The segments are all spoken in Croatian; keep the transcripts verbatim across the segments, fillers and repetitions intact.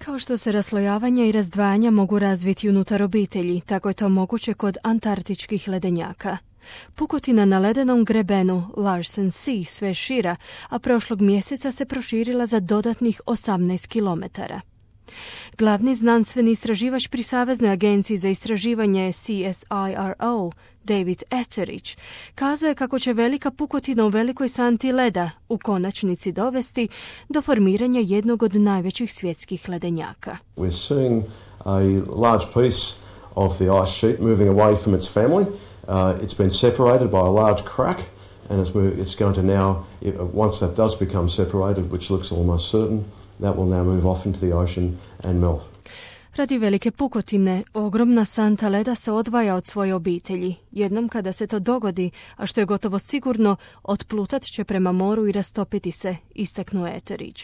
Kao što se raslojavanja i razdvajanja mogu razviti unutar obitelji, tako je to moguće kod antarktičkih ledenjaka. Pukotina na ledenom grebenu Larsen C sve šira, a prošlog mjeseca se proširila za dodatnih osamnaest kilometara. Glavni znanstveni istraživač pri Saveznoj agenciji za istraživanje C S I R O, David Etheridge, kazao je kako će velika pukotina u velikoj santi leda u konačnici dovesti do formiranja jednog od najvećih svjetskih ledenjaka. We're seeing a large piece of the ice sheet moving away from its family. Uh, it's been separated by a large crack, and it's, moved, it's going to now, once that does become separated, which looks almost certain, that will now move off into the ocean and melt. Radi velike pukotine, ogromna santa leda se odvaja od svoje obitelji. Jednom kada se to dogodi, a što je gotovo sigurno, otplutat će prema moru i rastopiti se, istaknuo Etheridge.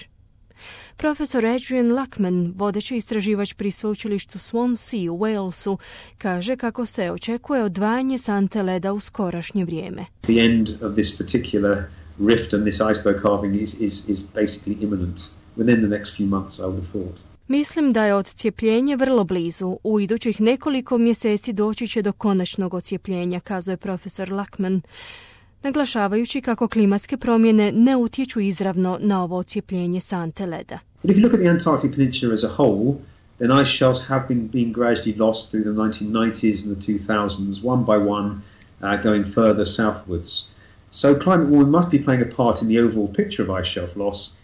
Profesor Adrian Lachman, vodeći istraživač pri sveučilištu Swansea u Walesu, kaže kako se očekuje odvajanje sante leda u skorašnje vrijeme. The end of this particular rift and this iceberg carving is, is, is basically imminent. Within the next few months, I would have thought. Mislim da je odcijepljenje vrlo blizu. U idućih nekoliko mjeseci doći će do konačnog odcijepljenja, kazuje profesor Lachman, naglašavajući kako klimatske promjene ne utječu izravno na ovo odcijepljenje sante leda. But if you look at the Antarctic Peninsula as a whole, then ice shelves have been, been gradually lost through the nineteen nineties and the two thousands, one by one, uh, going further southwards. So climate warming must be playing a part in the overall picture of ice shelf loss.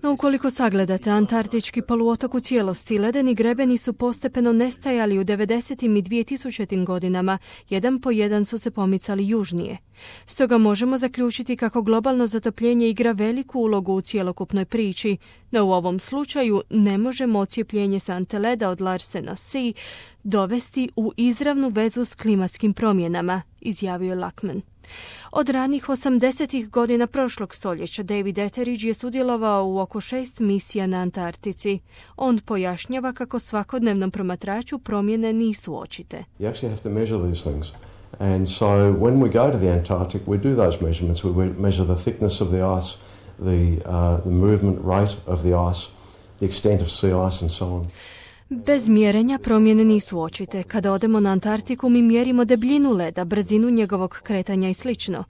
No ukoliko sagledate antarktički poluotok u cijelosti, ledeni grebeni su postepeno nestajali u devedesetim i dvjetisućim godinama, jedan po jedan su se pomicali južnije. Stoga možemo zaključiti kako globalno zatopljenje igra veliku ulogu u cjelokupnoj priči, no u ovom slučaju ne možemo odcijepljenje sante leda od Larsena C dovesti u izravnu vezu s klimatskim promjenama, izjavio Lachman. Od ranih osamdesetih godina prošlog stoljeća David Etheridge je sudjelovao u oko šest misija na Antarktici. On pojašnjava kako svakodnevnom promatraču promjene nisu očite. You actually have to measure these things. And so when we go to the Antarctic, we do those measurements. We measure the thickness of the ice, the, uh, the movement rate of the ice, the extent of sea ice and so on. Bez mjerenja promjene nisu očite. Kada odemo na Antarktiku, mi mjerimo debljinu leda, brzinu njegovog kretanja i slično.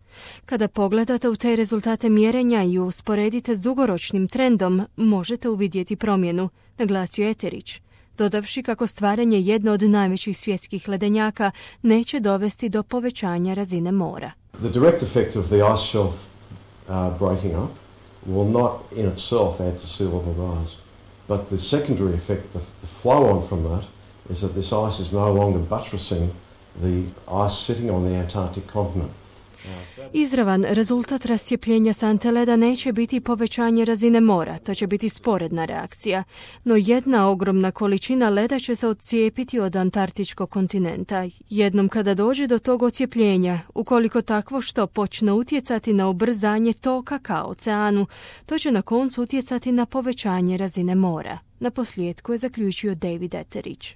Kada pogledate u te rezultate mjerenja i usporedite s dugoročnim trendom, možete uvidjeti promjenu, naglasio Etheridge, dodavši kako stvaranje jedne od najvećih svjetskih ledenjaka neće dovesti do povećanja razine mora. The direct effect of the ice shelf uh, breaking up will not in itself add to sea level rise. But the secondary effect, the, the flow on from that, is that this ice is no longer buttressing the ice sitting on the Antarctic continent. Izravan rezultat rascijepljenja sante leda neće biti povećanje razine mora, to će biti sporedna reakcija, no jedna ogromna količina leda će se odcijepiti od antarktičkog kontinenta. Jednom kada dođe do tog odcijepljenja, ukoliko takvo što počne utjecati na ubrzanje toka ka oceanu, to će na koncu utjecati na povećanje razine mora. Na posljedku je zaključio David Etheridge.